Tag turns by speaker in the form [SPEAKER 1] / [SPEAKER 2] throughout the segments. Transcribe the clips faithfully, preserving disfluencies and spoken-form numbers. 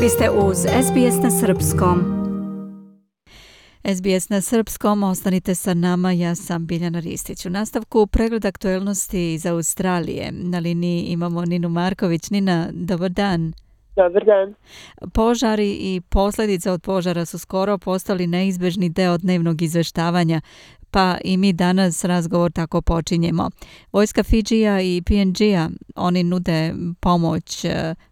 [SPEAKER 1] Vi ste uz S B S na Srpskom. S B S na Srpskom, ostanite sa nama, ja sam Biljana Ristić. U nastavku pregled aktuelnosti iz Australije. Na liniji imamo Ninu Marković. Nina, dobar dan.
[SPEAKER 2] Dobar dan.
[SPEAKER 1] Požari i posljedice od požara su skoro postali neizbežni deo dnevnog izveštavanja, pa i mi danas razgovor tako počinjemo. Vojska Fidžija i P N G-a, oni nude pomoć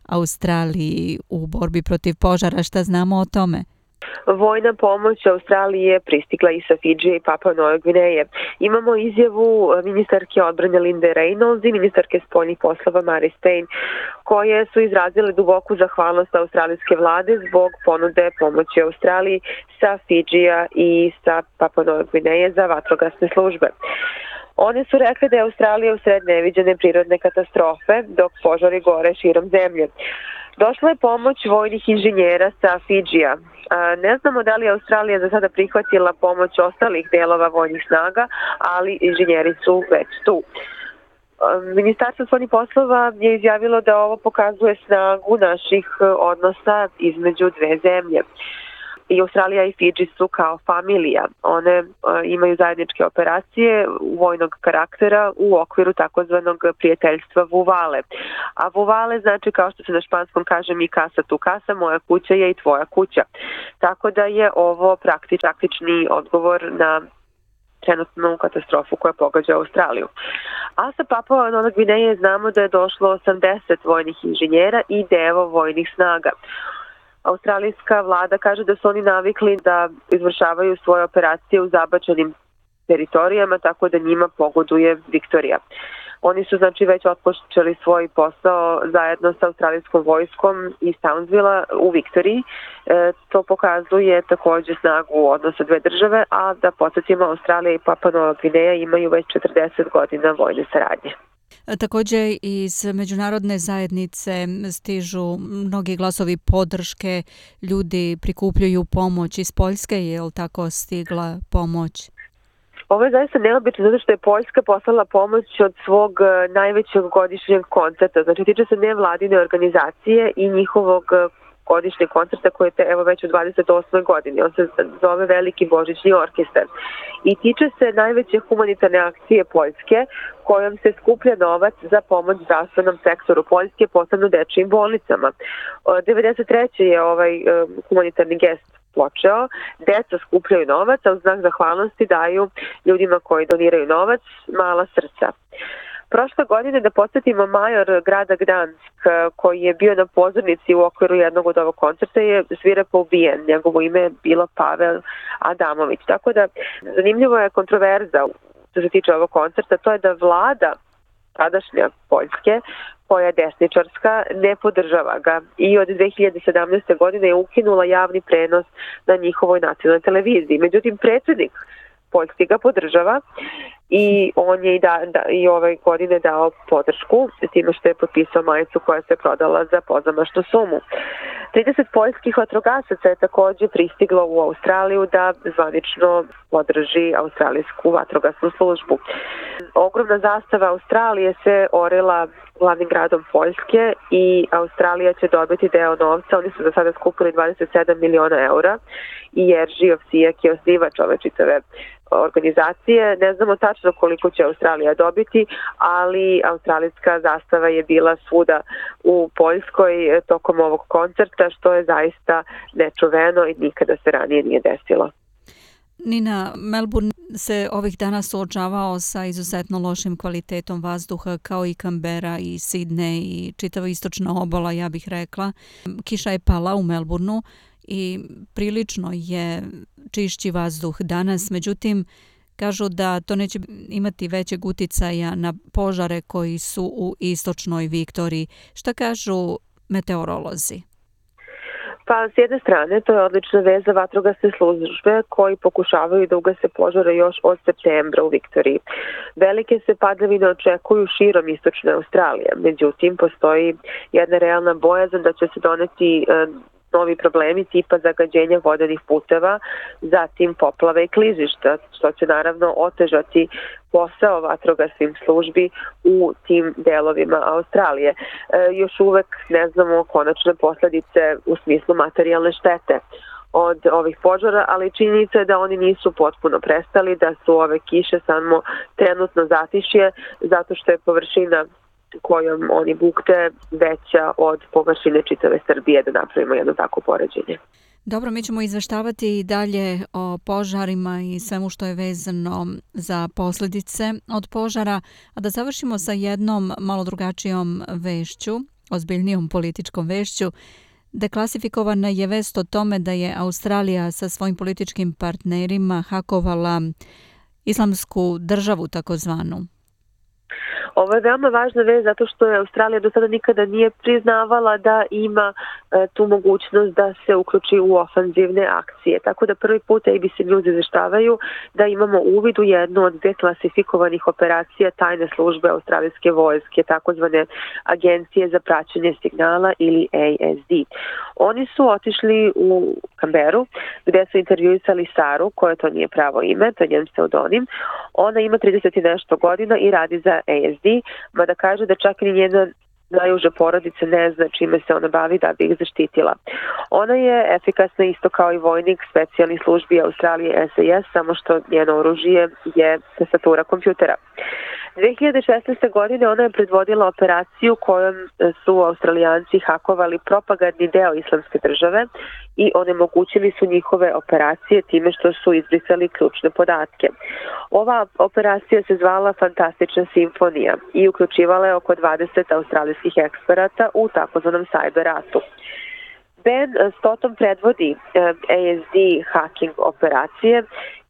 [SPEAKER 1] Australiji u borbi protiv požara. Šta znamo o tome?
[SPEAKER 2] Vojna pomoć Australiji je pristigla i sa Fidžija i Papua Nove Gvineje. Imamo izjavu ministarke odbrane Linde Reynolds i ministarke spoljnih poslova Mary Spain, koje su izrazile duboku zahvalnost australijske vlade zbog ponude pomoći Australiji sa Fidžija i sa Papua Nove Gvineje za vatrogasne službe. One su rekli da je Australija u sred neviđene prirodne katastrofe, dok požari gore širom zemlje. Došla je pomoć vojnih inženjera sa Fidžija. Ne znamo da li je Australija za sada prihvatila pomoć ostalih delova vojnih snaga, ali inženjeri su već tu. Ministarstvo spoljnih poslova je izjavilo da ovo pokazuje snagu naših odnosa između dve zemlje. I Australija i Fidži su kao familija. One imaju zajedničke operacije vojnog karaktera u okviru takozvanog prijateljstva Vuvale. A Vuvale znači, kao što se na španskom kaže, mi casa tu casa, moja kuća je i tvoja kuća. Tako da je ovo praktič, praktični odgovor na trenutnu katastrofu koja pogađa Australiju. A sa Papua Nove Gvineje znamo da je došlo osamdeset vojnih inženjera i devo vojnih snaga. Australijska vlada kaže da su oni navikli da izvršavaju svoje operacije u zabačenim teritorijama, tako da njima pogoduje Viktorija. Oni su znači već otpočeli svoj posao zajedno sa australijskom vojskom iz Townsvilla u Viktoriji. E, to pokazuje također snagu odnosa dve države, a da podsjetimo, Australija i Papua Nova Gvineja imaju već četrdeset godina vojne saradnje.
[SPEAKER 1] Također iz međunarodne zajednice stižu mnogi glasovi podrške, ljudi prikupljaju pomoć. Iz Poljske je li tako stigla pomoć?
[SPEAKER 2] Ovo je zaista neobično zato što je Poljska poslala pomoć od svog najvećeg godišnjeg koncerta. Znači tiče se nevladine organizacije i njihovog godišnjeg koncerta koji je evo već u dvadeset osmoj godini. On se zove Veliki božićni orkestar. I tiče se najveće humanitarne akcije Poljske kojom se skuplja novac za pomoć zdravstvenom sektoru Poljske, posebno dečijim bolnicama. devedeset treće je ovaj humanitarni gest počeo. Deca skupljaju novac, a u znak zahvalnosti daju ljudima koji doniraju novac mala srca. Prošle godine, da podsjetimo, major grada Gdansk, koji je bio na pozornici u okviru jednog od ovog koncerta, je svirepo ubijen. Njegovo ime je bilo Pavel Adamović. Tako da zanimljivo je kontroverza što se tiče ovog koncerta, to je da vlada tadašnja Poljske, koja je desničarska, ne podržava ga i od dve hiljade sedamnaeste. godine je ukinula javni prenos na njihovoj nacionalnoj televiziji. Međutim, predsjednik Poljski ga podržava i on je i, da, da, i ove godine dao podršku s time što je potpisao majicu koja se prodala za pozamašnu sumu. trideset poljskih vatrogasaca je također pristiglo u Australiju da zvanično podrži australijsku vatrogasnu službu. Ogromna zastava Australije se orila glavnim gradom Poljske i Australija će dobiti deo novca. Oni su za sada skupili dvadeset sedam miliona eura i Jerzy Ovsijak je osnivač ove čitave organizacije. Ne znamo tačno koliko će Australija dobiti, ali australijska zastava je bila svuda u Poljskoj tokom ovog koncerta, što je zaista nečuveno i nikada se ranije nije desilo.
[SPEAKER 1] Nina, Melbourne se ovih dana suočavao sa izuzetno lošim kvalitetom vazduha kao i Canberra i Sydney i čitava istočna obala, ja bih rekla. Kiša je pala u Melbourneu i prilično je čišći vazduh danas, međutim kažu da to neće imati većeg uticaja na požare koji su u istočnoj Viktoriji. Šta kažu meteorolozi?
[SPEAKER 2] Pa s jedne strane to je odlična vez za vatrogasne službe koji pokušavaju da ugase požare još od septembra u Viktoriji. Velike se padavine očekuju širom istočne Australije, međutim postoji jedna realna bojazan da će se doneti novi problemi tipa zagađenja vodenih puteva, zatim poplave i klizišta, što će naravno otežati posao vatrogasnim službi u tim delovima Australije. E, još uvek ne znamo konačne posledice u smislu materijalne štete od ovih požara, ali činjenica je da oni nisu potpuno prestali, da su ove kiše samo trenutno zatišje, zato što je površina kojom oni bukte veća od površine čitave Srbije, da napravimo jedno tako poređenje.
[SPEAKER 1] Dobro, mi ćemo izveštavati i dalje o požarima i svemu što je vezano za posljedice od požara, a da završimo sa jednom malo drugačijom vešću, ozbiljnijom političkom vešću. Deklasifikovana je vest o tome da je Australija sa svojim političkim partnerima hakovala Islamsku državu takozvanu.
[SPEAKER 2] Ovo je veoma važna vest zato što je Australija do sada nikada nije priznavala da ima e, tu mogućnost da se uključi u ofanzivne akcije. Tako da prvi put A B C News izveštavaju da imamo uvid u jednu od deklasifikovanih operacija tajne službe australijske vojske, takozvane Agencije za praćenje signala ili A S D. Oni su otišli u Kamberu gde su intervjuisali Saru, koja to nije pravo ime, to je njen pseudonim. Ona ima trideset i nešto godina i radi za A S D, mada kaže da čak i njena najuža porodica ne zna čime se ona bavi da bi ih zaštitila. Ona je efikasna isto kao i vojnik specijalnih službi Australije S A S, samo što njeno oružje je tastatura kompjutera. dve hiljade šesnaeste. godine ona je predvodila operaciju kojom su Australijanci hakovali propagandni deo Islamske države i onemogućili su njihove operacije time što su izbrisali ključne podatke. Ova operacija se zvala Fantastična simfonija i uključivala je oko dvadeset australijskih eksperata u takozvanom cyber ratu. Ben Stottom predvodi A S D hacking operacije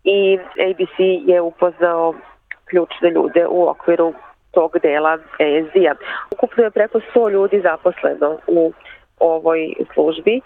[SPEAKER 2] i A B C je upoznao ključne ljude u okviru tog dela A S D-a. Ukupno je preko sto ljudi zaposleno u ovoj službi,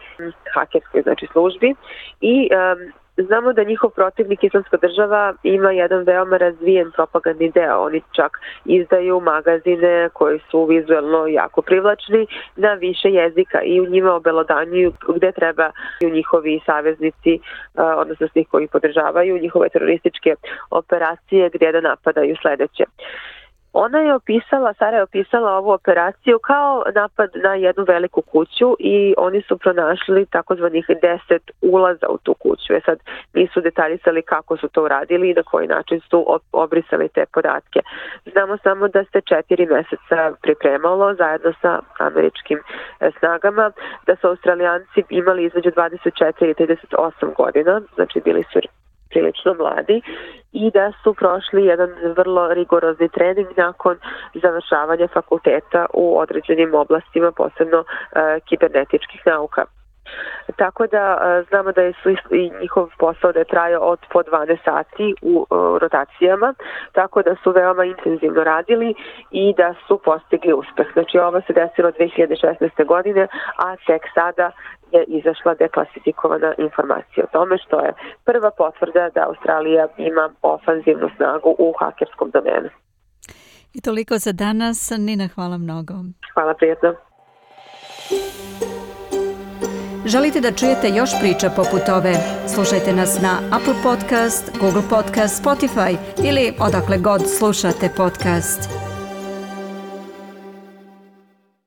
[SPEAKER 2] hakerskoj znači službi, i um, znamo da njihov protivnik Islamska država ima jedan veoma razvijen propagandni deo. Oni čak izdaju magazine koji su vizuelno jako privlačni na više jezika i u njima obelodanjuju gde treba i njihovi saveznici, odnosno svi koji podržavaju njihove terorističke operacije, gdje da napadaju sledeće. Ona je opisala, Sara je opisala ovu operaciju kao napad na jednu veliku kuću i oni su pronašli takozvanih deset ulaza u tu kuću. E sad nisu detaljisali kako su to uradili i na koji način su obrisali te podatke. Znamo samo da se četiri meseca pripremalo zajedno sa američkim snagama, da su Australijanci imali između dvadeset četiri i trideset osam godina, znači bili su prilično mladi, i da su prošli jedan vrlo rigorozni trening nakon završavanja fakulteta u određenim oblastima, posebno e, kibernetičkih nauka. Tako da e, znamo da je su i njihov posao da je trajao od po dvanaest sati u e, rotacijama, tako da su veoma intenzivno radili i da su postigli uspeh. Znači ovo se desilo dve hiljade šesnaeste. godine, a tek sada je izašla deklasifikovana informacija o tome, što je prva potvrda da Australija ima ofanzivnu snagu u hakerskom domenu.
[SPEAKER 1] I toliko za danas. Nina, hvala mnogo.
[SPEAKER 2] Hvala, prijatno.
[SPEAKER 1] Želite da čujete još priča poput ove? Slušajte nas na Apple Podcast, Google Podcast, Spotify ili odakle god slušate podcast.